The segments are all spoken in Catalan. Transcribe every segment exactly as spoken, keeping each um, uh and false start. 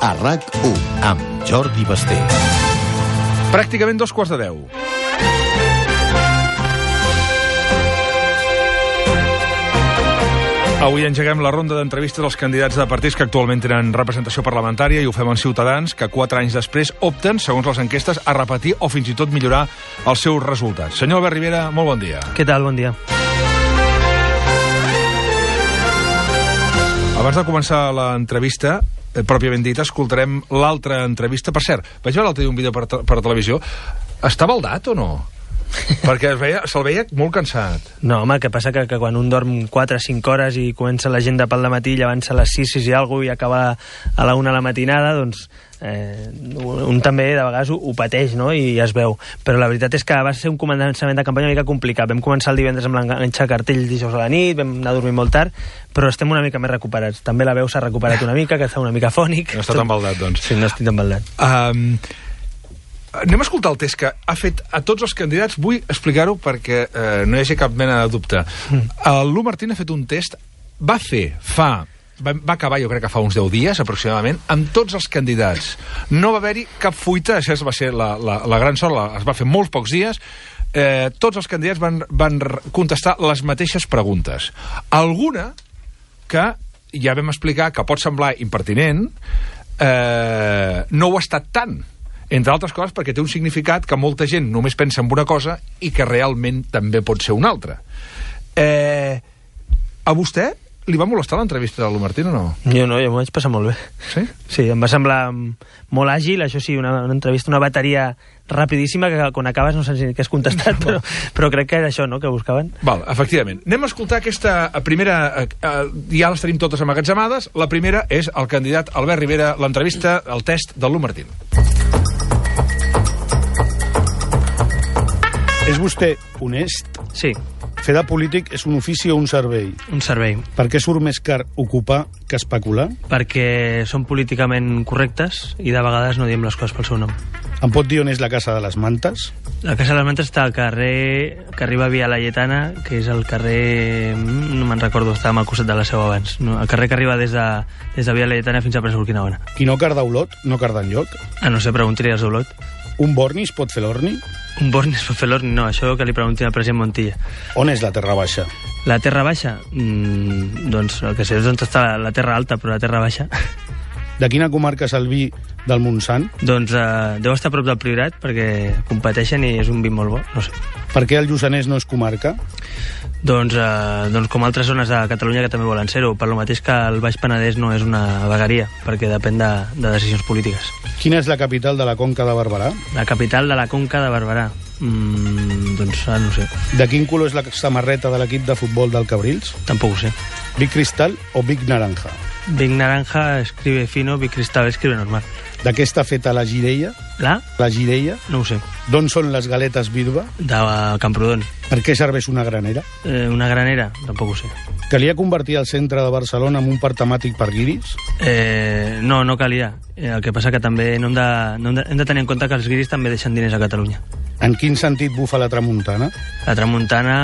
a RAC u, amb Jordi Basté. Pràcticament dos quarts de deu. Avui engeguem la ronda d'entrevistes als candidats de partits que actualment tenen representació parlamentària i ho fem amb Ciutadans, que quatre anys després opten, segons les enquestes, a repetir o fins i tot millorar els seus resultats. Senyor Albert Rivera, molt bon dia. Què tal? Bon dia. Abans de començar l'entrevista, eh, pròpiament dita, escoltarem l'altra entrevista. Per cert, vaig veure l'altre dia un vídeo per, per televisió. Està baldat o no? Perquè es veia, se'l veia molt cansat. No, home, el que passa que, que quan un dorm quatre o cinc hores i comença l'agenda pel dematí, llevant-se a les sis, sis i alguna cosa i acaba a la una a la matinada, doncs eh, un també de vegades ho, ho pateix, no?, i es veu. Però la veritat és que va ser un començament de campanya una mica complicat. Vam començar el divendres amb l'enganxa cartell dijous a la nit, vam anar a dormir molt tard, però estem una mica més recuperats. També la veu s'ha recuperat una mica, que està una mica fònic. No està tan baldat, doncs. Sí, no estic tan baldat. Um, anem a escoltar el test que ha fet a tots els candidats. Vull explicar-ho perquè eh, no hi hagi cap mena de dubte. Mm. El Lu Martín ha fet un test, va fer fa... Va, va acabar, jo crec que fa uns deu dies, aproximadament, amb tots els candidats. No va haver-hi cap fuita, això va ser la, la, la gran sort, la, es va fer molts pocs dies. Eh, tots els candidats van, van contestar les mateixes preguntes. Alguna que ja vam explicar que pot semblar impertinent, eh, no ho ha estat tant. Entre altres coses perquè té un significat que molta gent només pensa en una cosa i que realment també pot ser una altra. Eh, a vostè li va molestar l'entrevista de Lu Martín o no? Jo no, jo m'ho vaig passar molt bé. Sí? Sí, em va semblar molt àgil, això sí, una, una entrevista, una bateria rapidíssima que quan acabes no saps ni què has contestat, però, però crec que era això, no?, que buscaven. Val, efectivament. Anem a escoltar aquesta primera... Eh, ja les tenim totes emmagatzemades. La primera és el candidat Albert Rivera, l'entrevista, el test de Lu Martín. És vostè honest? Sí. Fer de polític és un ofici o un servei? Un servei. Per què surt més car ocupar que especular? Perquè són políticament correctes i de vegades no diem les coses pel seu nom. Em pot dir on és la Casa de les Mantes? La Casa de les Mantes està al carrer que arriba via la Lletana, que és el carrer... no me'n recordo, estàvem al costat de la seu abans. No, el carrer que arriba des de, des de via la Lletana fins a Presa Urquinaona. Qui no carda Olot, no carda enlloc? Ah, no sé, preguntaria als d'Olot. Un borni es pot fer l'orni? Un borni es pot fer l'orni? No, això que li preguntin al president Montilla. On és la Terra Baixa? La Terra Baixa? Mm, doncs el que sé és on està la, la Terra Alta, però la Terra Baixa... De quina comarca és el vi del Montsant? Doncs eh, deu estar a prop del Priorat, perquè competeixen i és un vi molt bo, no sé. Per què el Lluçanès no és comarca? Doncs, eh, doncs com altres zones de Catalunya que també volen ser-ho, per lo mateix que el Baix Penedès no és una vegueria, perquè depèn de, de decisions polítiques. Quina és la capital de la Conca de Barberà? La capital de la Conca de Barberà? Mm, doncs ah, no sé. De quin color és la samarreta de l'equip de futbol del Cabrils? Tampoc ho sé. Big Cristal o Big Naranja? Big Naranja escribe fino, Big Cristal escribe normal. De què està feta la gireia? La? La gireia? No ho sé. D'on són les galetes Birba? De Camprodon. Per què serveix una granera? Eh, una granera? Tampoc ho sé. Calia convertir el centre de Barcelona en un parc temàtic per guiris? Eh, no, no calia. Eh, el que passa que també no hem, de, no hem, de, hem de tenir en compte que els guiris també deixen diners a Catalunya. En quin sentit bufa la tramuntana? La tramuntana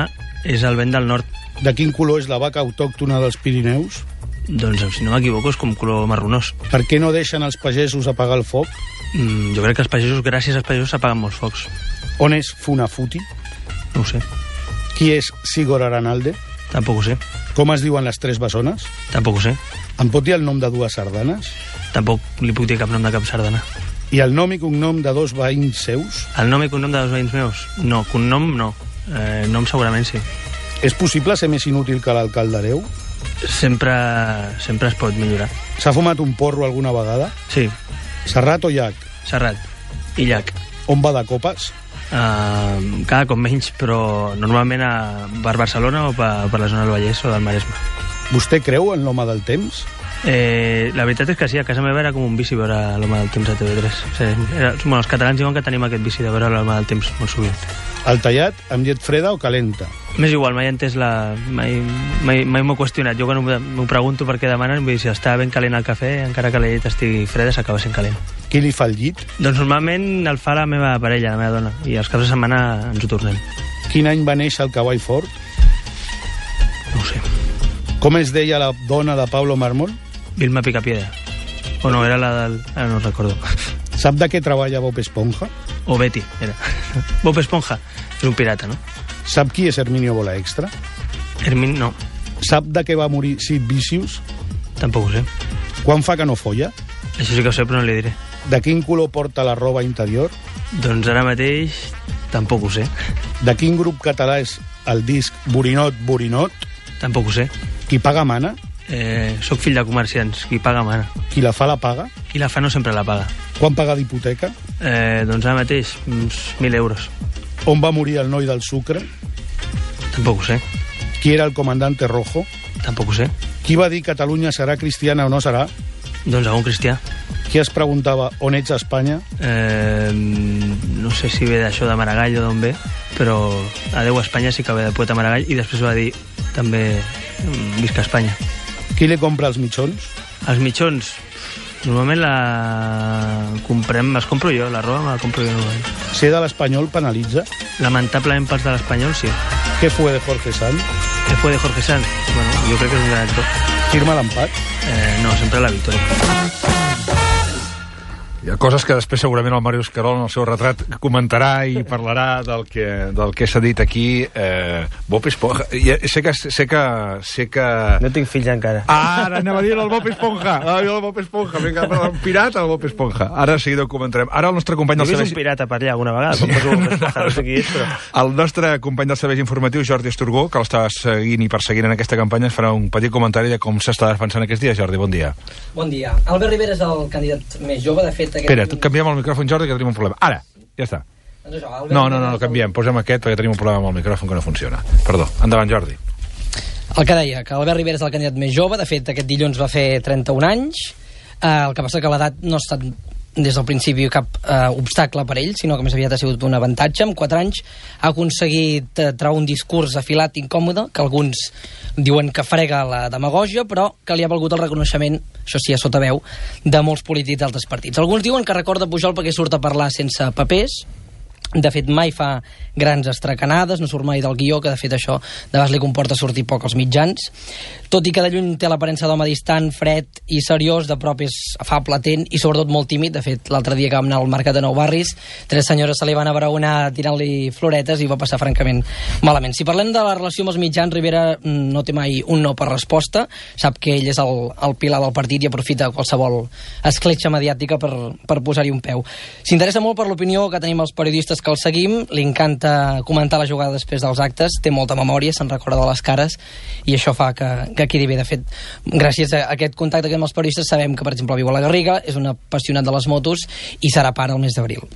és el vent del nord. De quin color és la vaca autòctona dels Pirineus? Doncs, si no m'equivoco, és com color marronós. Per què no deixen els pagesos apagar el foc? Mm, jo crec que els pagesos, gràcies als pagesos, s'apaguen molts focs. On és Funafuti? No ho sé. Qui és Sigor Aranalde? Tampoc ho sé. Com es diuen les tres bessones? Tampoc ho sé. Em pot dir el nom de dues sardanes? Tampoc li puc dir cap nom de cap sardana. I el nom i cognom de dos veïns seus? El nom i cognom de dos veïns meus? No, cognom no. Eh, nom segurament sí. És possible ser més inútil que l'alcalde Areu? Sempre, sempre es pot millorar. S'ha fumat un porro alguna vegada? Sí. Serrat o Llac? Serrat. I Llac. On va de copes? Uh, cada cop menys, però normalment a per Barcelona o per, per la zona del Vallès o del Maresme. Vostè creu en l'home del temps? Eh, la veritat és que sí, a casa meva era com un vici veure l'home del temps a T V tres. Sí, era, bueno, els catalans diuen que tenim aquest vici de veure l'home del temps molt sovint. El tallat amb llet freda o calenta? M'és igual, mai he entès la... Mai, mai, mai m'ho he qüestionat. Jo quan m'ho pregunto per què demanen, vull dir, si està ben calent el cafè, encara que la llet estigui freda, s'acaba sent calent. Qui li fa el llit? Doncs normalment el fa la meva parella, la meva dona, i els caps de setmana ens ho tornem. Quin any va néixer el cavall fort? No ho sé. Com es deia la dona de Pablo Mármol? Vilma Picapiedra. O no, era la del... Ara no recordo. Sap de què treballa Bob Esponja? O Betty, era. Bob Esponja és un pirata, no? Sap qui és Herminio Bola Extra? Hermin, no. Sap de què va morir Sid Vicious? Tampoc ho sé. Quan fa que no folla? Això sí que ho sé, però no li diré. De quin color porta la roba interior? Doncs ara mateix tampoc ho sé. De quin grup català és el disc Borinot, Borinot? Tampoc ho sé. Qui paga mana? Eh, soc fill de comerciants. Qui paga mana. Qui la fa la paga? Qui la fa no sempre la paga. Quan paga d'hipoteca? Eh, doncs ara mateix, uns mil euros. On va morir el noi del sucre? Tampoc ho sé. Qui era el comandante Rojo? Tampoc ho sé. Qui va dir Catalunya serà cristiana o no serà? Doncs algun cristià. Qui es preguntava on ets a Espanya? Eh, no sé si ve d'això de Maragall o d'on ve, però adeu a Espanya sí que ve de poeta Maragall, i després va dir també visca Espanya. Qui li compra els mitjons? Els mitjons, normalment la comprem, les compro jo, la roba me la compro jo normalment. Ser de l'Espanyol penalitza? Lamentablement pels de l'Espanyol, sí. Què fue de Jorge Sanz? Què fue de Jorge Sanz? Bueno, jo crec que és un gran actor. Firma l'empat? Eh, no, sempre la victòria. Hi ha coses que després segurament el Màrius Querol en el seu retrat comentarà i parlarà del que, del que s'ha dit aquí. Eh, Bob Esponja. Ja, sé, que, sé, que, sé que... No tinc fills encara. Ah, ara anava a dir el Bob Esponja. Ah, el Bob Esponja. Vinga, un pirata, el Bob Esponja. Ara de seguida ho comentarem. Ara el nostre company del servei... servei... un pirata per allà alguna vegada, com poso Bob Esponja, no sé qui és, però... El nostre company dels serveis informatius, Jordi Esturgó, que l'està seguint i perseguint en aquesta campanya, ens farà un petit comentari de com s'està defensant aquests dies. Jordi, bon dia. Bon dia. Albert Rivera és el candidat més jove, de fet... Aquest... Espera, canviem el micròfon, Jordi, que tenim un problema. Ara, ja està. Doncs això, no, no, no, no, canviem. Posem aquest perquè tenim un problema amb el micròfon que no funciona. Perdó. Endavant, Jordi. El que deia, que Albert Rivera és el candidat més jove, de fet, aquest dilluns va fer trenta-un anys, eh, el que passa que l'edat no ha estat des del principi cap eh, obstacle per ell, sinó que més aviat ha sigut un avantatge. En quatre anys ha aconseguit eh, treure un discurs afilat incòmode, que alguns diuen que frega la demagògia, però que li ha valgut el reconeixement, això sí, a sota veu, de molts polítics d'altres partits. Alguns diuen que recorda Pujol perquè surt a parlar sense papers. De fet, mai fa grans estracanades, no surt mai del guió, que de fet això de vegades li comporta sortir poc als mitjans. Tot i que de lluny té l'aparença d'home distant, fred i seriós, de prop és afable, atent i sobretot molt tímid. De fet, l'altre dia que vam anar al mercat de Nou Barris, tres senyores se li van abraonar tirant-li floretes i va passar francament malament. Si parlem de la relació amb els mitjans, Rivera no té mai un no per resposta, sap que ell és el, el pilar del partit i aprofita qualsevol escletxa mediàtica per, per posar-hi un peu. S'interessa molt per l'opinió que tenim els periodistes que el seguim, li encanta comentar la jugada després dels actes, té molta memòria, se'n recorda de les cares, i això fa que, que quedi bé. De fet, gràcies a aquest contacte que amb els periodistes sabem que, per exemple, viu a la Garriga, és un apassionat de les motos i serà pare el mes d'abril.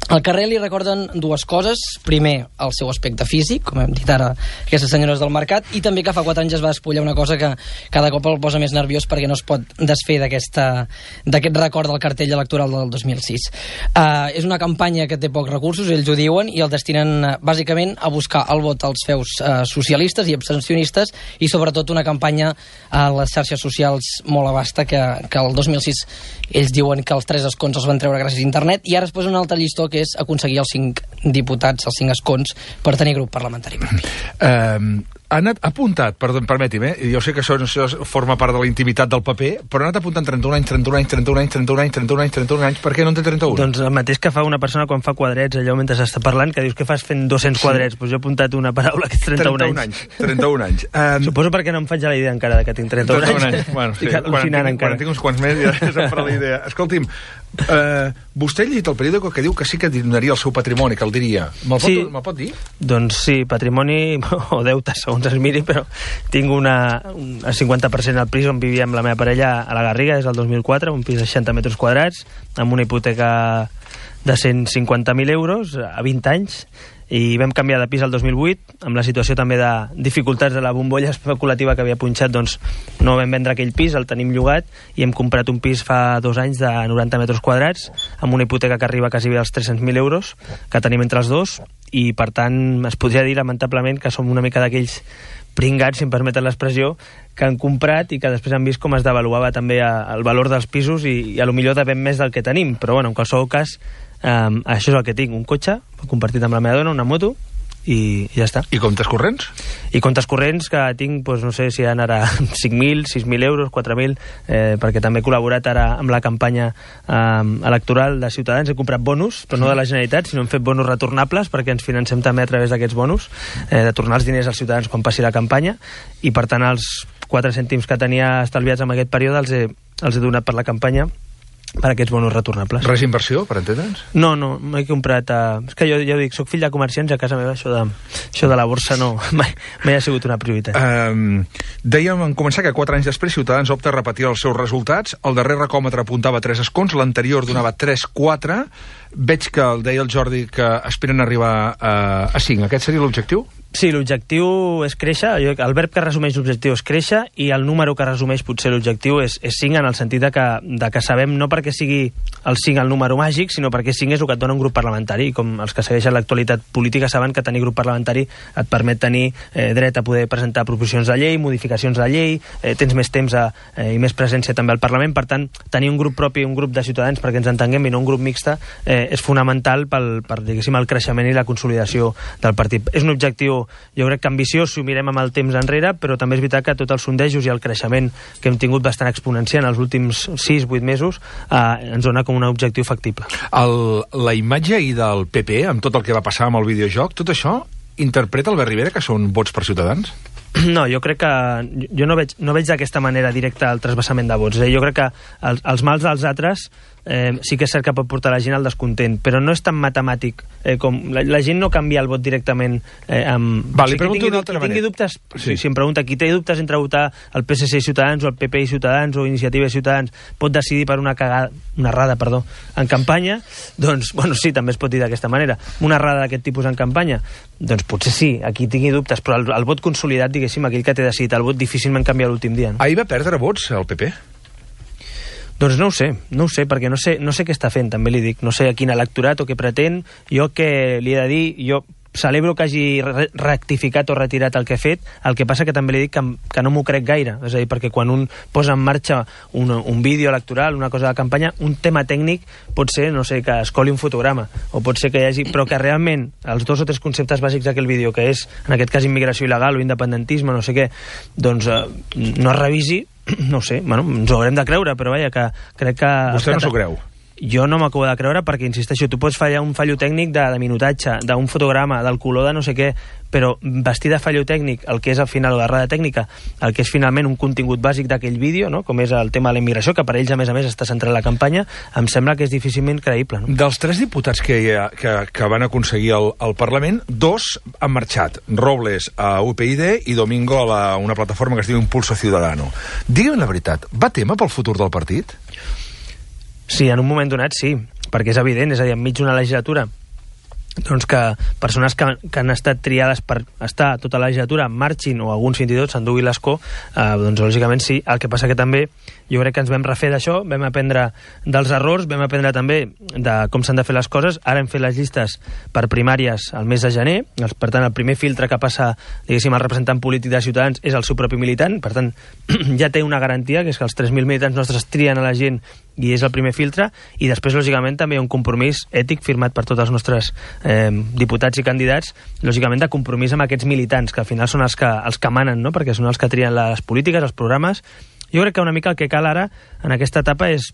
Al carrer li recorden dues coses. Primer, el seu aspecte físic, com hem dit ara aquestes senyores del mercat, i també que fa quatre anys es va despullar una cosa que cada cop el posa més nerviós perquè no es pot desfer d'aquest record del cartell electoral del dos mil sis. Uh, és una campanya que té pocs recursos, ells ho diuen, i el destinen uh, bàsicament a buscar el vot als feus uh, socialistes i abstencionistes, i sobretot una campanya a les xarxes socials molt abasta, que, que el dos mil sis ells diuen que els tres escons els van treure gràcies a internet, i ara es posa un altre llistó que és aconseguir els cinc diputats, els cinc escons, per tenir grup parlamentari propi. Uh, ha anat apuntat, perdó, permeti'm, eh? Jo sé que això, això forma part de la intimitat del paper, però ha anat apuntant trenta-un anys, trenta-un anys, trenta-un anys, trenta-un anys, trenta-un anys, trenta-un anys, per què no en té trenta-un? Doncs el mateix que fa una persona quan fa quadrets, allò mentre s'està parlant, que dius que fas fent dos-cents sí. quadrets, doncs jo he apuntat una paraula que és trenta-un anys. trenta-un anys. Um, Suposo perquè no em faig la idea encara que tinc trenta-un anys. anys. Bueno, sí, Estic al·lucinant encara. Quan tinc uns quants més ja se'm farà la idea. Escolti'm, uh, vostè ha llegit el periòdico que diu que sí que donaria el seu patrimoni, que el diria. Me'l pot, sí. me pot dir? Doncs sí, patrimoni o deute, segons es miri, però tinc una, un cinquanta per cent al pis on vivia amb la meva parella a la Garriga, des del dos mil quatre, un pis de seixanta metres quadrats, amb una hipoteca de cent cinquanta mil euros a vint anys, i vam canviar de pis el dos mil vuit, amb la situació també de dificultats de la bombolla especulativa que havia punxat, doncs no vam vendre aquell pis, el tenim llogat, i hem comprat un pis fa dos anys de noranta metres quadrats, amb una hipoteca que arriba quasi bé als tres-cents mil euros, que tenim entre els dos, i per tant es podria dir lamentablement que som una mica d'aquells pringats, si em permeten l'expressió, que han comprat i que després han vist com es devaluava també el valor dels pisos i, i a lo millor devem més del que tenim, però bueno, en qualsevol cas, um, això és el que tinc, un cotxe compartit amb la meva dona, una moto, i ja està. I comptes corrents? I comptes corrents que tinc, doncs, no sé si han ara cinc mil, sis mil euros, quatre mil, eh, perquè també he col·laborat ara amb la campanya eh, electoral de Ciutadans. He comprat bonus, però no de la Generalitat, sinó hem fet bonus retornables perquè ens financem també a través d'aquests bonus, eh, de tornar els diners als ciutadans quan passi la campanya, i per tant els quatre cèntims que tenia estalviats en aquest període els he, els he donat per la campanya per aquests bonus retornables. Res inversió, per entendre'ns? No, no, m'he comprat... Uh... És que jo, jo dic, soc fill de comerciants i a casa meva això de, això de la borsa no, mai, mai ha sigut una prioritat. Um, dèiem en començar que quatre anys després Ciutadans opta a repetir els seus resultats. El darrer recòmetre apuntava tres escons, l'anterior donava tres quatre. Veig que el deia el Jordi que esperen arribar a, a cinc. Aquest seria l'objectiu? Sí, l'objectiu és créixer, el verb que resumeix l'objectiu és créixer i el número que resumeix potser l'objectiu és, és cinc, en el sentit de que, de que sabem no perquè sigui el cinc el número màgic, sinó perquè cinc és el que et dona un grup parlamentari, i com els que segueixen l'actualitat política saben que tenir grup parlamentari et permet tenir eh, dret a poder presentar proposicions de llei, modificacions de llei, eh, tens més temps a, eh, i més presència també al Parlament, per tant, tenir un grup propi, un grup de ciutadans perquè ens entenguem i no un grup mixte, eh, és fonamental pel, per, diguéssim, el creixement i la consolidació del partit. És un objectiu, jo crec que ambiciós si ho mirem amb el temps enrere, però també és veritat que tots els sondejos i el creixement que hem tingut bastant exponencial en els últims sis vuit mesos eh, ens dona com un objectiu factible. El, la imatge ahir del P P, amb tot el que va passar amb el videojoc, tot això interpreta Albert Rivera que són vots per Ciutadans? No, jo crec que... Jo no veig, no veig d'aquesta manera directa el trasbassament de vots. Eh? Jo crec que els, els mals dels altres eh, sí que és cert que pot portar la gent al descontent, però no és tan matemàtic eh, com... La, la gent no canvia el vot directament eh, amb... Va, li o sigui, pregunto d'una altra manera. Qui tingui dubtes, Sí. sí. si em pregunta, qui té dubtes entre votar el P S C i Ciutadans o el P P i Ciutadans o Iniciativa i Ciutadans pot decidir per una cagada, una errada, perdó, en campanya, doncs, bueno, sí, també es pot dir d'aquesta manera. Una errada d'aquest tipus en campanya, doncs potser sí, aquí tingui dubtes, però el, el vot consolidat, diguéssim, aquell que té decidit el vot, difícilment canvia l'últim dia. No? Ahir va perdre vots el P P? Doncs no ho sé, no ho sé, perquè no sé, no sé què està fent, també li dic. No sé a quin electorat o què pretén. Jo que li he de dir, jo celebro que hagi re rectificat o retirat el que ha fet, el que passa que també li dic que, que no m'ho crec gaire, és a dir, perquè quan un posa en marxa un, un vídeo electoral, una cosa de campanya, un tema tècnic pot ser, no sé, que es coli un fotograma, o pot ser que hi hagi... però que realment els dos o tres conceptes bàsics d'aquell vídeo, que és, en aquest cas, immigració il·legal o independentisme, no sé què, doncs eh, no es revisi, no sé, bueno, ens ho haurem de creure, però vaja, que crec que... Vostè no s'ho creu? Jo no m'acabo de creure perquè, insisteixo, tu pots fallar un fallo tècnic de, de minutatge, d'un fotograma, del color de no sé què, però vestir de fallo tècnic el que és al final la errada tècnica, el que és finalment un contingut bàsic d'aquell vídeo, no? Com és el tema de la immigració, que per ells a més a més està centrat en la campanya, em sembla que és difícilment creïble. No? Dels tres diputats que, hi ha, que, que van aconseguir el, el Parlament, dos han marxat. Robles a U P Y i Domingo a la, una plataforma que es diu Impulso Ciudadano. Digue'm la veritat, va tema pel futur del partit? Sí, en un moment donat sí, perquè és evident, és a dir, enmig d'una legislatura doncs que persones que, que han estat triades per estar tota la legislatura marxin, o alguns fins i tot s'enduguin l'escó, eh, doncs lògicament sí. El que passa que també jo crec que ens vam refer d'això, vam aprendre dels errors, vam aprendre també de com s'han de fer les coses. Ara hem fet les llistes per primàries al mes de gener, per tant el primer filtre que passa, diguéssim, el representant polític de Ciutadans és el seu propi militant, per tant ja té una garantia, que és que els tres mil militants nostres trien a la gent i és el primer filtre, i després lògicament també hi ha un compromís ètic firmat per tots els nostres eh, diputats i candidats, lògicament de compromís amb aquests militants, que al final són els que, els que manen, no? Perquè són els que trien les polítiques, els programes. Jo crec que una mica el que cal ara en aquesta etapa és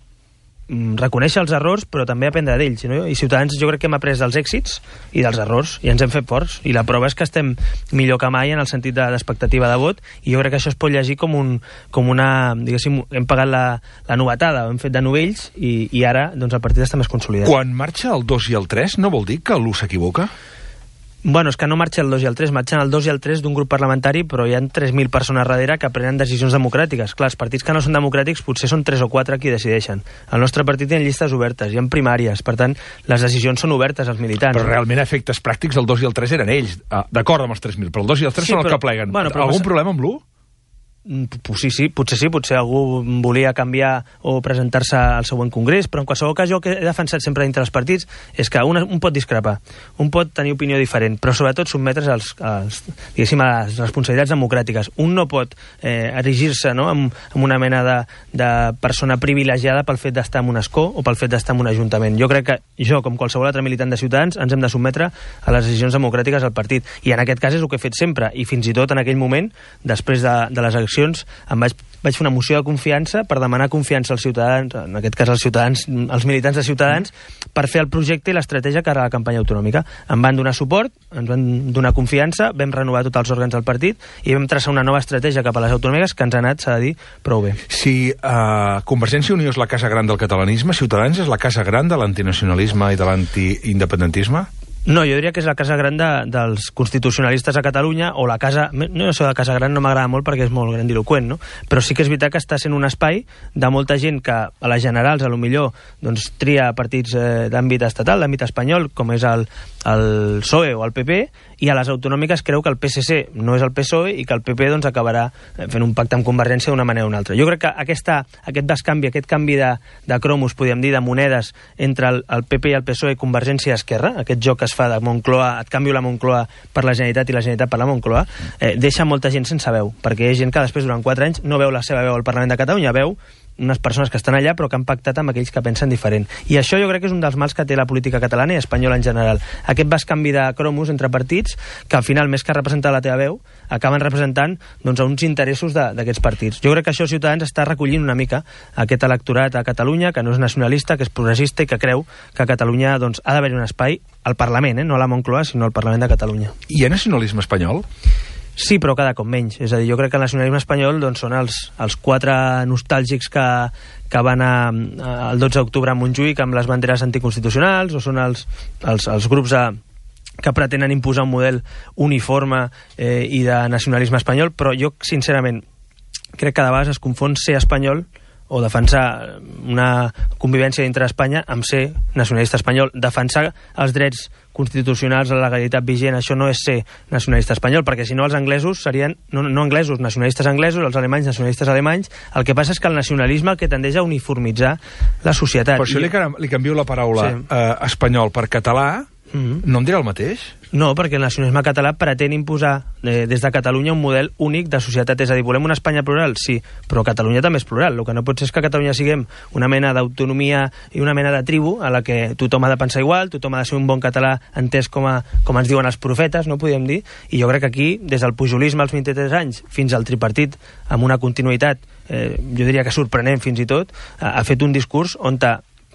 mm, reconèixer els errors, però també aprendre d'ells, no? I Ciutadans jo crec que hem après dels èxits i dels errors, i ens hem fet forts, i la prova és que estem millor que mai en el sentit d'expectativa de, de vot, i jo crec que això es pot llegir com, un, com una, diguéssim, hem pagat la, la novetada, ho hem fet de novells, i, i ara doncs, el partit està més consolidat. Quan marxa el dos i el tres, no vol dir que l'u s'equivoca? Bueno, és que no marxa el dos i el tres, marxen el dos i el tres d'un grup parlamentari, però hi ha tres mil persones darrere que prenen decisions democràtiques. Clar, els partits que no són democràtics potser són tres o quatre qui decideixen. El nostre partit té llistes obertes, hi ha primàries, per tant, les decisions són obertes als militants. Però realment efectes pràctics el dos i el tres eren ells, d'acord amb els tres mil, però el dos i el tres sí, són però, els que pleguen. Bueno, Algun passa... problema amb l'u? Sí, sí, potser sí, potser algú volia canviar o presentar-se al següent congrés, però en qualsevol cas jo que he defensat sempre dintre dels partits és que un, un pot discrepar, un pot tenir opinió diferent, però sobretot sotmetre's als, als, diguéssim, a les responsabilitats democràtiques. Un no pot eh, erigir-se, no?, amb, amb una mena de, de persona privilegiada pel fet d'estar en un escó o pel fet d'estar en un ajuntament. Jo crec que jo, com qualsevol altre militant de Ciutadans, ens hem de sotmetre a les decisions democràtiques del partit, i en aquest cas és el que he fet sempre, i fins i tot en aquell moment, després de, de les eleccions, em vaig, vaig fer una moció de confiança per demanar confiança als ciutadans, en aquest cas als ciutadans, als militants de Ciutadans, per fer el projecte i l'estratègia cara a la campanya autonòmica. Em van donar suport, ens van donar confiança, vam renovar tots els òrgans del partit i vam traçar una nova estratègia cap a les autonòmiques que ens ha anat, s'ha de dir, prou bé. Si uh, Convergència i Unió és la casa gran del catalanisme, Ciutadans és la casa gran de l'antinacionalisme i de l'antiindependentisme? No, jo diria que és la casa gran de, dels constitucionalistes a Catalunya, o la casa... No, això de casa gran no m'agrada molt perquè és molt grandiloquent, no? Però sí que és veritat que està sent un espai de molta gent que a les generals, a lo millor, doncs, tria partits eh, d'àmbit estatal, d'àmbit espanyol, com és el, el P S O E o el P P, i a les autonòmiques creu que el P S C no és el P S O E i que el P P doncs, acabarà fent un pacte amb Convergència d'una manera o una altra. Jo crec que aquesta, aquest bescanvi, aquest canvi de, de cromos, podríem dir, de monedes entre el, el P P i el P S O E, Convergència i Esquerra, aquest joc que es fa de Moncloa, et canvio la Moncloa per la Generalitat i la Generalitat per la Moncloa, eh, deixa molta gent sense veu, perquè hi ha gent que després durant quatre anys no veu la seva veu al Parlament de Catalunya, veu unes persones que estan allà però que han pactat amb aquells que pensen diferent. I això jo crec que és un dels mals que té la política catalana i espanyola en general. Aquest bescanvi de cromos entre partits que al final, més que representar la teva veu, acaben representant doncs, uns interessos d'aquests partits. Jo crec que això Ciutadans està recollint una mica aquest electorat a Catalunya, que no és nacionalista, que és progressista i que creu que a Catalunya doncs, ha d'haver un espai al Parlament, eh? No a la Moncloa, sinó al Parlament de Catalunya. Hi ha nacionalisme espanyol? Sí, però cada cop menys. És a dir, jo crec que el nacionalisme espanyol doncs, són els, els quatre nostàlgics que, que van a, a, el dotze d'octubre a Montjuïc amb les banderes anticonstitucionals, o són els, els, els grups de, que pretenen imposar un model uniforme eh, i de nacionalisme espanyol, però jo, sincerament, crec que de vegades es confon ser espanyol o defensar una convivència dintre d'Espanya amb ser nacionalista espanyol. Defensar els drets constitucionals, la legalitat vigent, això no és ser nacionalista espanyol, perquè si no els anglesos serien, no, no anglesos, nacionalistes anglesos, els alemanys, nacionalistes alemanys. El que passa és que el nacionalisme el que tendeix a uniformitzar la societat. Per això I... li, li canvio la paraula sí. eh, espanyol per català, mm-hmm. no em dirà el mateix? No, perquè el nacionalisme català pretén imposar eh, des de Catalunya un model únic de societat. És a dir, volem una Espanya plural? Sí, però Catalunya també és plural. El que no pot ser és que a Catalunya siguem una mena d'autonomia i una mena de tribu a la que tothom ha de pensar igual, tothom ha de ser un bon català entès com, a, com ens diuen els profetes, no podríem dir, i jo crec que aquí, des del pujolisme als vint-i-tres anys fins al tripartit, amb una continuïtat, eh, jo diria que sorprenent fins i tot, ha, ha fet un discurs on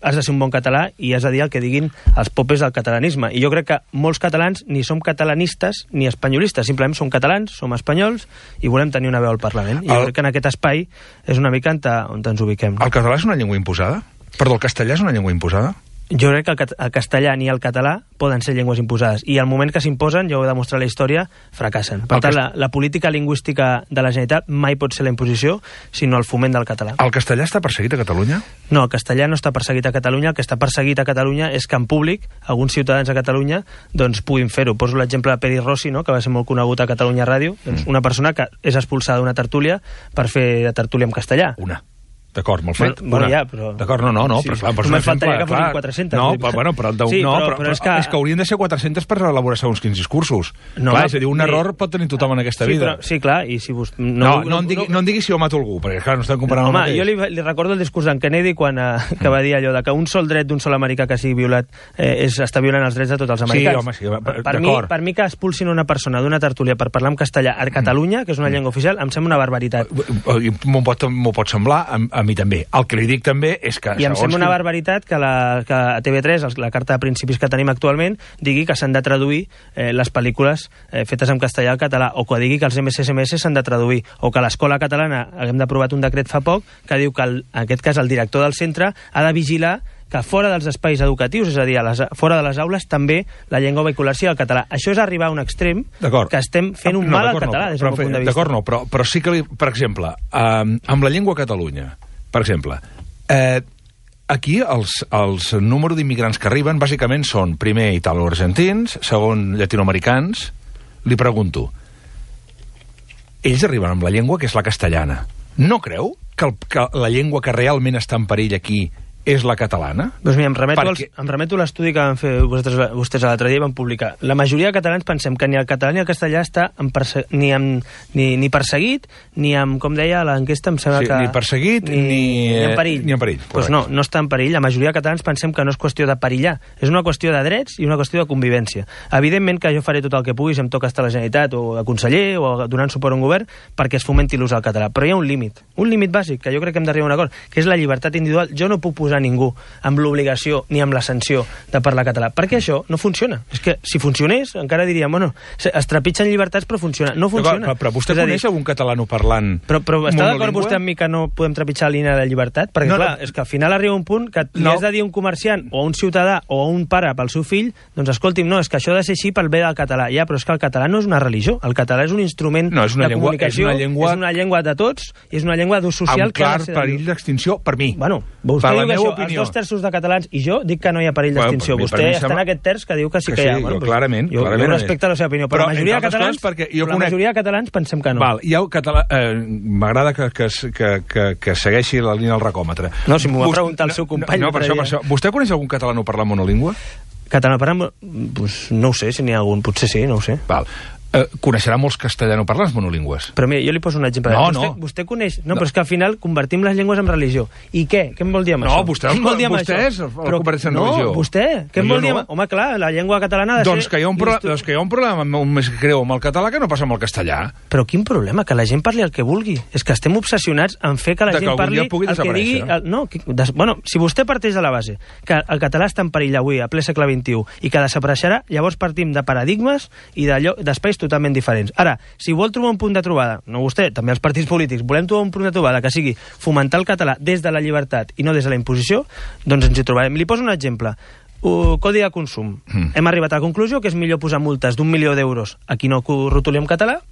has de ser un bon català i has de dir el que diguin els popes del catalanisme. I jo crec que molts catalans ni som catalanistes ni espanyolistes, simplement som catalans, som espanyols i volem tenir una veu al Parlament. I el... jo crec que en aquest espai és una mica on, on ens ubiquem. El català és una llengua imposada? Perdó, el castellà és una llengua imposada? Jo crec que el, el castellà ni el català poden ser llengües imposades. I al moment que s'imposen, ja ho he demostrat la història, fracassen. Per el tant, cast... la, la política lingüística de la Generalitat mai pot ser la imposició, sinó el foment del català. El castellà està perseguit a Catalunya? No, el castellà no està perseguit a Catalunya. El que està perseguit a Catalunya és que en públic alguns ciutadans a Catalunya doncs, puguin fer-ho. Poso l'exemple de Peri Rossi, no?, que va ser molt conegut a Catalunya Ràdio. Mm. Doncs una persona que és expulsada d'una tertúlia per fer tertúlia en castellà. Una. D'acord, molt fet. Bueno, bueno, ja, però... D'acord, no, no, no, sí. però clar, per només faltaria que fossin quatre-centes. No, però, bueno, però, sí, no, però, però, però, és, que... és que haurien de ser quatre-centes per elaborar segons quins discursos. No, clar, és a dir, un error pot tenir tothom en aquesta sí, vida. Però, sí, clar, i si vos... No, no, no, em digui, no em digui si jo mato algú, perquè clar, no estem comparant Home, el mateix. Jo li, li recordo el discurs d'en Kennedy quan uh, que va dir allò de que un sol dret d'un sol americà que sigui violat eh, és, està violant els drets de tots els americans. Sí, home, sí, per, per, mi, per mi que expulsin una persona d'una tertúlia per parlar en castellà a Catalunya, que és una llengua oficial, em sembla una barbaritat. M'ho pot, pot semblar, a, a mi també. El que li dic també és que I em sembla una barbaritat que, la, que a T V tres, la carta de principis que tenim actualment, digui que s'han de traduir eh, les pel·lícules eh, fetes en castellà al català, o que digui que els M S S M S s'han de traduir, o que a l'escola catalana hem d'aprovat un decret fa poc que diu que, el, en aquest cas, el director del centre ha de vigilar que fora dels espais educatius, és a dir, a les, fora de les aules, també la llengua vehicular sigui el català. Això és arribar a un extrem que estem fent un no, mal al català, no, des del meu punt de vista. D'acord, no, però, però sí que, li, per exemple, eh, amb la llengua a Catalunya, per exemple, eh, aquí els, els número d'immigrants que arriben bàsicament són, primer, italo-argentins, segon, llatinoamericans. Li pregunto, ells arriben amb la llengua que és la castellana. No creu que, el, que la llengua que realment està en perill aquí és la catalana? Doncs mira, em remeto, Perquè... als, em remeto a l'estudi que van fer vostès, vostès l'altre dia i van publicar. La majoria de catalans pensem que ni el català ni el castellà està en perse... ni, amb, ni, ni perseguit, ni amb, com deia l'enquesta, em sembla sí, que... Ni perseguit, ni, ni, ni en perill. Ni en perill, pues no, no està en perill. La majoria de catalans pensem que no és qüestió de perillar. És una qüestió de drets i una qüestió de convivència. Evidentment que jo faré tot el que pugui si em toca estar a la Generalitat o de conseller o donant suport a un govern perquè es fomenti l'ús del català. Però hi ha un límit, un límit bàsic, que jo crec que hem d'arribar a un acord, que és la llibertat individual. Jo no puc posar ningú amb l'obligació ni amb la sanció de parlar català, perquè això no funciona. És que si funcionés, encara diríem, bueno, es trepitgen llibertats però funciona. No funciona. Però, però vostè coneix dir, algun catalano parlant Però, però està d'acord vostè amb mi que no podem trepitjar la línia de la llibertat? Perquè no, clar, no. és que al final arriba un punt que li no. has de dir a un comerciant o a un ciutadà o a un pare pel seu fill, doncs escolti'm, no, és que això ha de ser així pel bé del català. Ja, però és que el català no és una religió, el català és un instrument no, és una de llengua, comunicació, és una llengua... és una llengua de tots i és una llengua d'ús social amb clar perill d'extinció per mi. Bueno, vostè diu que això, els dos terços de catalans i jo dic que no hi ha perill d'extinció. Bueno, vostè està en aquest terç que diu que sí que, que hi ha. Sí, bueno, jo, clarament, jo, clarament. Jo respecte a la seva opinió, però, però la majoria de catalans, perquè jo la conec... majoria de catalans pensem que no. Val, hi ha català... Eh, m'agrada que, que, que, que, que segueixi la línia del racòmetre. No, si m'ho va preguntar el seu company... No, no, per això, per això. Vostè coneix algun català parlant monolingüe? Català parlant... Pues no ho sé, si n'hi ha algun. Potser sí, no ho sé. Val. Eh, coneixerà molts castellanoparlants monolingües. Però mira, jo li poso un exemple. No, vostè, no. Vostè coneix... No, no, però és que al final convertim les llengües en religió. I què? Què em vol dir amb no, això? Vostè, què vol dir amb vostè això? és el que converteix en no, religió. No, vostè. Què em no, vol dir no. amb... Home, clar, la llengua catalana ha de doncs ser... Que hi ha un pro... doncs que hi ha un problema més greu amb el català que no passa amb el castellà. Però quin problema? Que la gent parli el que vulgui. És que estem obsessionats en fer que la de gent que parli el que digui... El... No, que... Des... bueno, si vostè parteix de la base que el català està en perill avui, a ple segle vint-i-u, i que desapareixerà, llavors partim de paradigmes i d'espais totalment diferents. Ara, si vol trobar un punt de trobada, no vostè, també els partits polítics, volem trobar un punt de trobada que sigui fomentar el català des de la llibertat i no des de la imposició, doncs ens hi trobarem. Li poso un exemple. Uh, codi de consum. Mm. Hem arribat a la conclusió que és millor posar multes d'un milió d'euros a qui no rotuli en català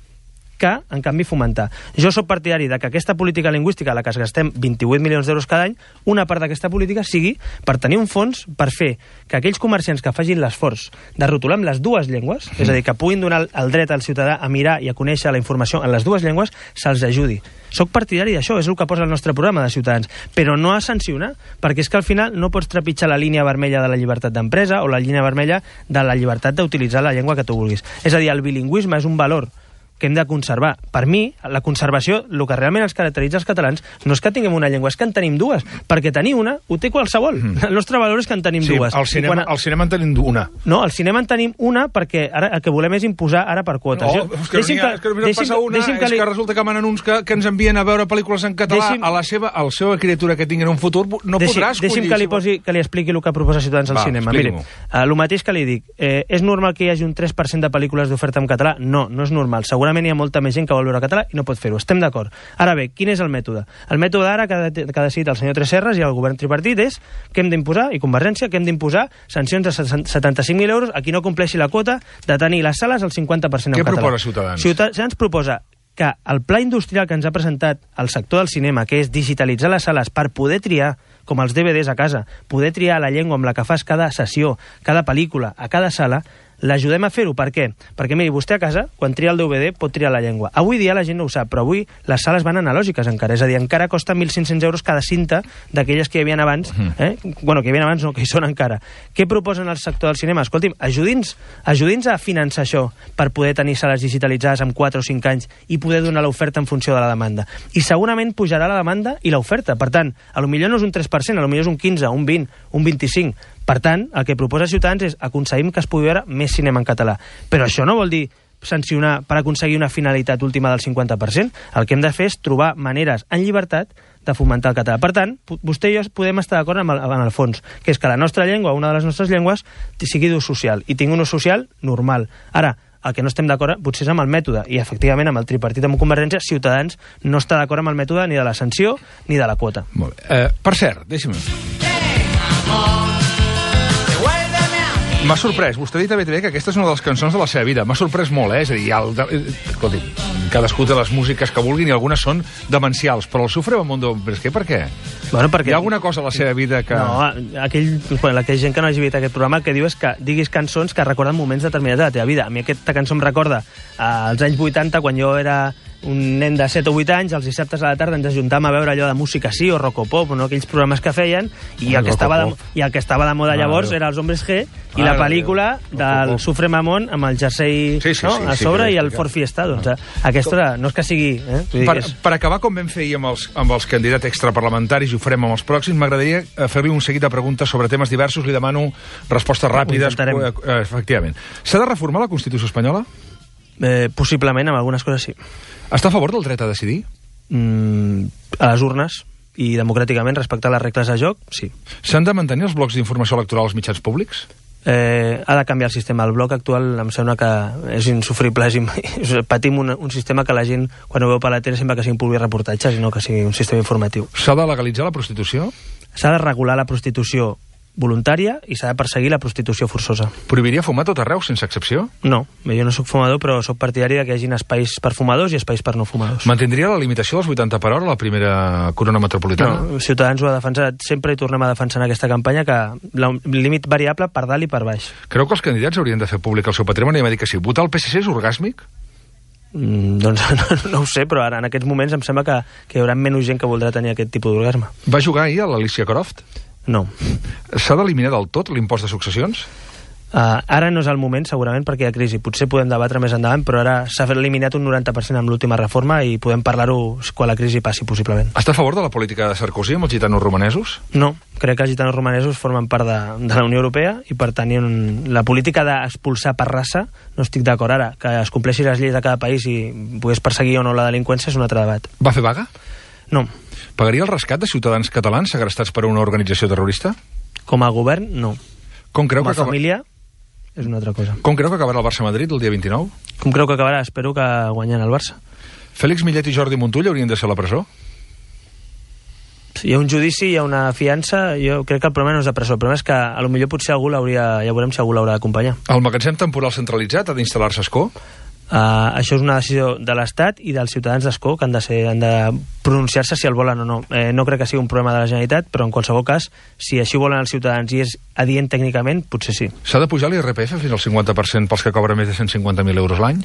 que, en canvi, fomentar. Jo sóc partidari de que aquesta política lingüística a la que es gastem vint-i-vuit milions d'euros cada any, una part d'aquesta política sigui per tenir un fons per fer que aquells comerciants que facin l'esforç de rotular amb les dues llengües, mm. és a dir, que puguin donar el dret al ciutadà a mirar i a conèixer la informació en les dues llengües, se'ls ajudi. Soc partidari d'això, és el que posa el nostre programa de Ciutadans, però no a sancionar, perquè és que al final no pots trepitjar la línia vermella de la llibertat d'empresa o la línia vermella de la llibertat d'utilitzar la llengua que tu vulguis. És a dir, el bilingüisme és un valor que hem de conservar. Per mi, la conservació, el que realment els caracteritza els catalans, no és que tinguem una llengua, és que en tenim dues, perquè tenir una ho té qualsevol. Mm. El nostre valor és que en tenim sí, dues. Al cinema, quan... al cinema en tenim una. No, al cinema en tenim una perquè ara el que volem és imposar ara per quotes. No, és que, deixi'm que, és que, deixi'm, passa una, deixi'm que, li... és que resulta que manen uns que, que ens envien a veure pel·lícules en català deixi'm... a la seva, a la seva criatura que tinguin un futur, no deixi'm, podrà escollir. Deixi'm que li, posi, que li expliqui el que proposa Ciutadans al Va, cinema. Miri, uh, el mateix que li dic, eh, és normal que hi hagi un tres per cent de pel·lícules d'oferta en català? No, no és normal. Segurament hi ha molta més gent que vol veure català i no pot fer-ho. Estem d'acord. Ara bé, quin és el mètode? El mètode ara que, que ha decidit el senyor Tresserras i el govern tripartit és que hem d'imposar, i Convergència, que hem d'imposar sancions de setanta-cinc mil euros a qui no compleixi la quota de tenir les sales al cinquanta per cent en català. Què proposa Ciutadans? Ciutadans proposa que el pla industrial que ens ha presentat el sector del cinema, que és digitalitzar les sales per poder triar, com els D V Ds a casa, poder triar la llengua amb la que fas cada sessió, cada pel·lícula, a cada sala, l'ajudem a fer-ho. Per què? Perquè, miri, vostè a casa, quan tria el D V D, pot triar la llengua. Avui dia la gent no ho sap, però avui les sales van analògiques encara. És a dir, encara costa mil cinc-cents euros cada cinta d'aquelles que hi havia abans. Eh? Bueno, que hi havia abans, no, que hi són encara. Què proposen al sector del cinema? Escolti'm, ajudi'ns, ajudi'ns a finançar això per poder tenir sales digitalitzades en quatre o cinc anys i poder donar l'oferta en funció de la demanda. I segurament pujarà la demanda i l'oferta. Per tant, a lo millor no és un tres per cent, a lo millor és un quinze, un vint, un vint-i-cinc. Per tant, el que proposa Ciutadans és aconseguim que es pugui veure més cinema en català. Però això no vol dir sancionar per aconseguir una finalitat última del cinquanta per cent. El que hem de fer és trobar maneres en llibertat de fomentar el català. Per tant, vostè i jo podem estar d'acord amb, amb el fons, que és que la nostra llengua, una de les nostres llengües, sigui d'ús social, i tingui un ús social normal. Ara, el que no estem d'acord potser és amb el mètode, i efectivament amb el tripartit amb Convergència, Ciutadans no està d'acord amb el mètode ni de la sanció ni de la quota. Molt bé. Eh, per cert, deixi'm... M'ha sorprès, vostè ha dit a B T V que aquesta és una de les cançons de la seva vida. M'ha sorprès molt, eh? És a dir, el de... escolti, cadascú té les músiques que vulguin i algunes són demencials, però el seu Frebamundo, però és que per què? Bueno, perquè... Hi ha alguna cosa a la seva vida que... No, aquell, bueno, aquella gent que no hagi vist aquest programa el que diu és que diguis cançons que recorden moments determinats de la teva vida. A mi aquesta cançó em recorda als anys vuitanta, quan jo era un nen de set o vuit anys, els dissabtes a la tarda ens ajuntàvem a veure allò de música sí o rocopop, no? Aquells programes que feien, i el que, estava de, i el que estava de moda llavors era els Hombres G i la pel·lícula del Sufre Mamón amb el jersei sí, sí, no? sí, a sí, sobre sí, i el Ford Fiesta. Doncs, aquesta no és que sigui... Eh? Per, per acabar, com vam fer ahir amb els, amb els candidats extraparlamentaris, i ho farem amb els pròxims, m'agradaria fer-li un seguit de preguntes sobre temes diversos. Li demano respostes ràpides. Eh, efectivament. S'ha de reformar la Constitució espanyola? Eh, possiblement, amb algunes coses sí. Està a favor del dret a decidir? Mm, a les urnes i democràticament, respectar les regles de joc, sí. S'han de mantenir els blocs d'informació electoral als mitjans públics? Eh, ha de canviar el sistema. El bloc actual em sembla que és insufrible. És, patim un, un sistema que la gent, quan ho veu per la tele, sembla que sigui un publi reportatges i no que sigui un sistema informatiu. S'ha de legalitzar la prostitució? S'ha de regular la prostitució voluntària i s'ha de perseguir la prostitució forçosa. Prohibiria fumar tot arreu, sense excepció? No, jo no sóc fumador, però sóc partidari que hi hagi espais per fumadors i espais per no fumadors. Mantindria la limitació dels vuitanta per hora a la primera corona metropolitana? No, Ciutadans ho ha defensat sempre i tornem a defensar en aquesta campanya que el límit variable per dalt i per baix. Creu que els candidats haurien de fer públic el seu patrimoni? I m'ha dit que sí. Votar el P S C és orgàsmic? Mm, doncs no, no ho sé, però ara en aquests moments em sembla que, que hi haurà menys gent que voldrà tenir aquest tipus d'orgasme. Va jugar ahir a l'Alicia Croft? No. S'ha d'eliminar del tot l'impost de successions? Uh, ara no és el moment, segurament, perquè hi ha crisi. Potser podem debatre més endavant, però ara s'ha eliminat un noranta per cent amb l'última reforma i podem parlar-ho quan la crisi passi, possiblement. Està a favor de la política de Sarkozy amb els gitanos romanesos? No, crec que els gitanos romanesos formen part de, de la Unió Europea i, per tant, la política d'expulsar per raça no estic d'acord ara. Que es compleixi les lleis de cada país i pogués perseguir o no la delinqüència és un altre debat. Va fer vaga? No. Pagaria el rescat de ciutadans catalans segrestats per una organització terrorista? Com a govern, no. Com creu Com a que acaba... família, és una altra cosa. Com creu que acabarà el Barça-Madrid el dia vint-i-nou? Com creu que acabarà? Espero que guanyant el Barça. Fèlix Millet i Jordi Montull haurien de ser a la presó? Hi ha un judici, hi ha una fiança, jo crec que el problema no és de presó, el problema és que a lo millor potser algú l'hauria, ja veurem si algú l'haurà d'acompanyar. El magatzem temporal centralitzat ha d'instal·lar-se a Escó? Uh, això és una decisió de l'Estat i dels ciutadans d'Escó que han de, ser, han de pronunciar-se si el volen o no. Eh, no crec que sigui un problema de la Generalitat, però en qualsevol cas, si així volen els ciutadans i és adient tècnicament, potser sí. S'ha de pujar l'I R P F fins al cinquanta per cent pels que cobren més de cent cinquanta mil euros l'any?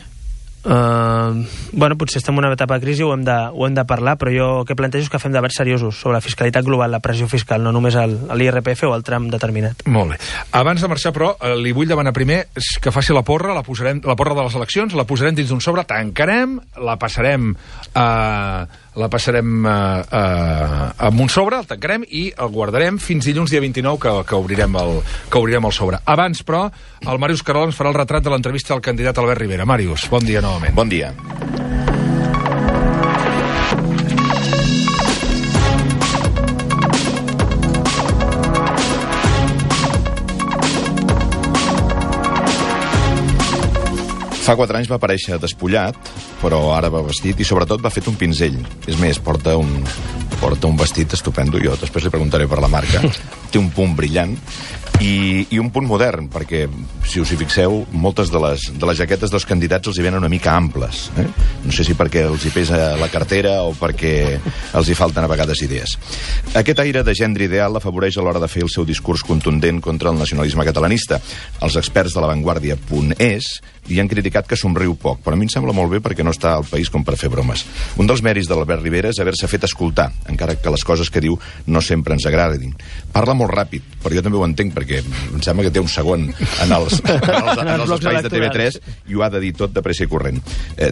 Uh, bueno, potser estem en una etapa de crisi, ho hem de, ho hem de parlar, però jo el que plantejo és que fem debats seriosos sobre la fiscalitat global, la pressió fiscal, no només l'I R P F o el tram determinat. Molt bé. Abans de marxar, però, li vull demanar primer que faci la porra, la, posarem, la porra de les eleccions, la posarem dins d'un sobre, tancarem, la passarem a... Uh, la passarem uh, uh, amb un sobre, el tancarem i el guardarem fins dilluns dia vint-i-nou que, que, obrirem el, que obrirem el sobre. Abans, però, el Màrius Carol ens farà el retrat de l'entrevista al candidat Albert Rivera. Màrius, bon dia novament. Bon dia. Fa quatre anys va aparèixer despullat, però ara va vestit i sobretot va fet un pinzell. És més, porta un, porta un vestit estupendo, jo després li preguntaré per la marca. Té un punt brillant i, i un punt modern, perquè, si us hi fixeu, moltes de les, de les jaquetes dels candidats els hi venen una mica amples. Eh? No sé si perquè els hi pesa la cartera o perquè els hi falten a vegades idees. Aquest aire de gendre ideal l'afavoreix a l'hora de fer el seu discurs contundent contra el nacionalisme catalanista. Els experts de l'avantguàrdia punt es li han criticat que somriu poc, però a mi em sembla molt bé perquè no està al país com per fer bromes. Un dels mèrits de l'Albert Rivera és haver-se fet escoltar, encara que les coses que diu no sempre ens agradin. Parla molt ràpid, però jo també ho entenc perquè em sembla que té un segon en els, en els, en els espais de T V tres i ho ha de dir tot de pressa i corrent. Eh,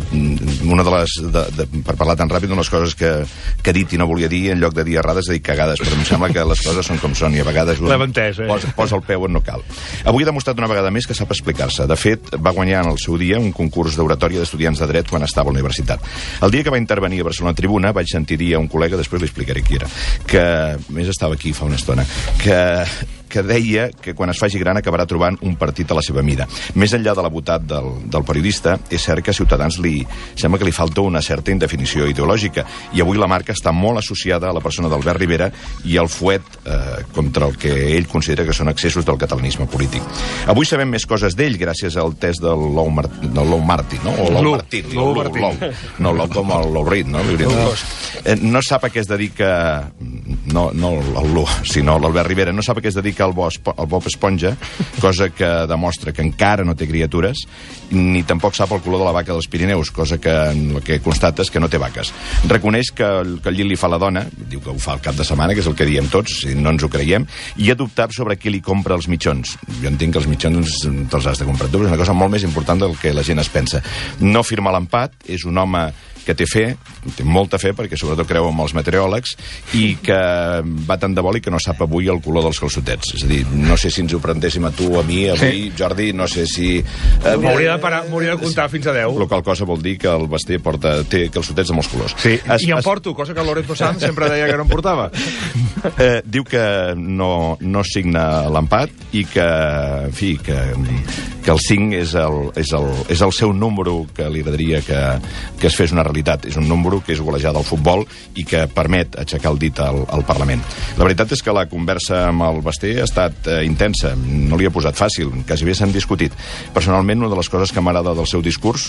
una de les, de, de, per parlar tan ràpid, una de les coses que, que ha dit i no volia dir, en lloc de dir errades, ha dit cagades, però em sembla que les coses són com són i a vegades un, entès, eh? posa, posa el peu on no cal. Avui ha demostrat una vegada més que sap explicar-se. De fet, va guanyar en el seu dia un concurs d'oratòria d'estudiants de dret quan estava a la universitat. El dia que va intervenir a Barcelona Tribuna vaig sentir dir a un col·lega, després li explicaré qui era, que més estava aquí fa una estona, que que deia que quan es faci gran acabarà trobant un partit a la seva mida. Més enllà de la botat del, del periodista, és cert que a Ciutadans li sembla que li falta una certa indefinició ideològica, i avui la marca està molt associada a la persona d'Albert Rivera i al fuet eh, contra el que ell considera que són excessos del catalanisme polític. Avui sabem més coses d'ell gràcies al test del Lou, Mar del Lou Martin, no? O Lou Martin. Lou Martin. No, Lou com el Lou Reed, no? No, no sap a què es dedica, no, no el Lu, sinó l'Albert Rivera, no sap a què es dedica el, bo, el Bob Esponja, cosa que demostra que encara no té criatures, ni tampoc sap el color de la vaca dels Pirineus, cosa que el que constata és que no té vaques. Reconeix que el, que el llit li fa la dona, diu que ho fa el cap de setmana, que és el que diem tots, si no ens ho creiem, i ha dubtat sobre qui li compra els mitjons. Jo entenc que els mitjons te'ls has de comprar tu, és una cosa molt més important del que la gent es pensa. No firma l'empat, és un home que té fe, té molta fe, perquè sobretot creu en els meteoròlegs, i que va tant de boli que no sap avui el color dels calçotets. És a dir, no sé si ens ho prendéssim a tu, a mi, avui, sí. Jordi, no sé si... Eh, m'hauria de parar, m'hauria de comptar fins a deu. La qual cosa vol dir que el Basté porta, té calçotets de molts colors. Sí, es, i en es... porto, cosa que el Lorenzo Sanz sempre deia que no en portava. Eh, diu que no, no signa l'empat i que, en fi, que, que el cinc és el, és, el, és el seu número que li agradaria que, que es fes una realitat. És un número que és golejada al futbol i que permet aixecar el dit al, al Parlament. La veritat és que la conversa amb el Basté ha estat eh, intensa, no li ha posat fàcil, quasi bé s'han discutit. Personalment, una de les coses que m'agrada del seu discurs,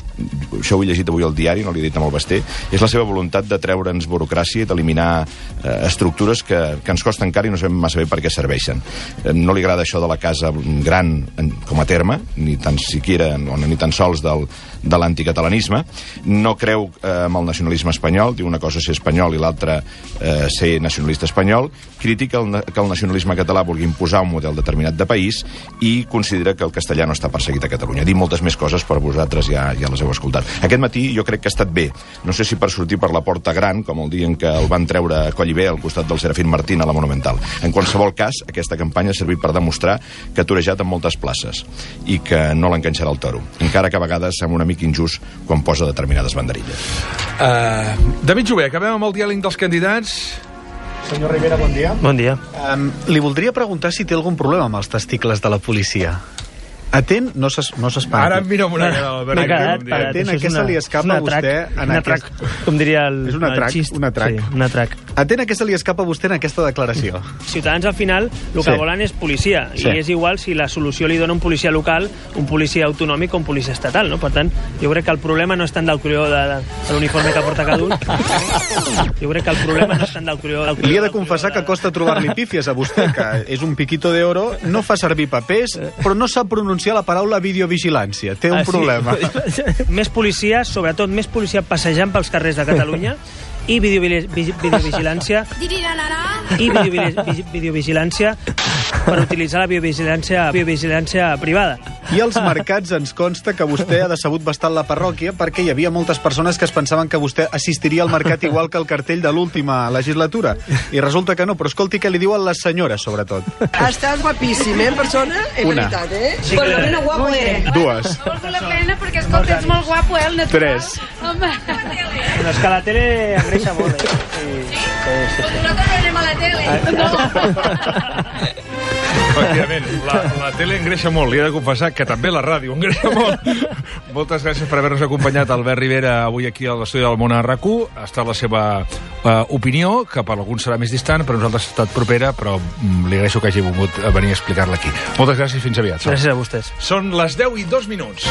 això ho he llegit avui al diari, no l'he dit amb el Basté, és la seva voluntat de treure'ns burocràcia i d'eliminar eh, estructures que, que ens costen car i no sabem massa bé per què serveixen. Eh, no li agrada això de la casa gran en, com a terme, ni tan siquiera, no, ni tan sols del, de l'anticatalanisme. No creu eh, amb el nacionalisme espanyol, diu una cosa ser espanyol i l'altra eh, ser nacionalista espanyol, critica el, que el nacionalisme català vulgui imposar un model determinat de país i considera que el castellà no està perseguit a Catalunya. Diu moltes més coses, però vosaltres ja, ja les heu escoltat. Aquest matí jo crec que ha estat bé, no sé si per sortir per la porta gran, com el dia en què el van treure a Collibè al costat del Serafín Martín a la Monumental. En qualsevol cas, aquesta campanya ha servit per demostrar que ha torejat en moltes places i que no l'enganxarà el toro, encara que a vegades sembla una mica injust quan posa determinades banderilles. Uh, David Jové, acabem amb el diàleg dels candidats. Senyor Rivera, bon dia. Bon dia. Um, li voldria preguntar si té algun problema amb els testicles de la policia. Atent, no s'espanti. Ara em mira amb una cara, Albert. Atent, atent a què se li escapa a vostè... Un atrac, com diria el, és un atrac, el xist. Un atrac. Sí, un atrac. Atent a què se li escapa a vostè en aquesta declaració. Ciutadans, al final, el que sí. volen és policia. Sí. I és igual si la solució li dona un policia local, un policia autonòmic o un policia estatal, no? Per tant, jo crec que el problema no és tant del color de, de, de l'uniforme que porta cada un. Jo crec que el problema no és tant del color... Del color li he de confessar que costa trobar-li pífies a vostè, que és un piquito de oro, no fa servir papers, però no sap pronunciar la paraula videovigilància. Té un ah, sí? problema. Més policia, sobretot més policia passejant pels carrers de Catalunya i videovigilància i videovigilància per utilitzar la biovigilància, biovigilància privada. I als mercats ens consta que vostè ha decebut bastant la parròquia perquè hi havia moltes persones que es pensaven que vostè assistiria al mercat igual que el cartell de l'última legislatura. I resulta que no, però escolti què li diuen les senyores, sobretot. Estàs guapíssim, eh, en persona? En Una. veritat, eh? Sí, Pues lo menos guapo eres. Dues. Molt la pena perquè, escolta, ets molt guapo, eh, el natural. Tres. Home. No, és que la tele engreixa molt, eh? Sí, sí, sí. Pues nosaltres no anem a la tele. No. Efectivament, la, la tele engreixa molt, li he de confessar que també la ràdio engreixa molt. Moltes gràcies per haver-nos acompanyat, Albert Rivera, avui aquí a l'estudi del Món a R A C u. Ha estat la seva uh, opinió, que per alguns serà més distant, per nosaltres ha estat propera, però mm, li agraeixo que hagi volgut venir a explicar-la aquí. Moltes gràcies i fins aviat. Gràcies a vostès. Són les deu i dos minuts.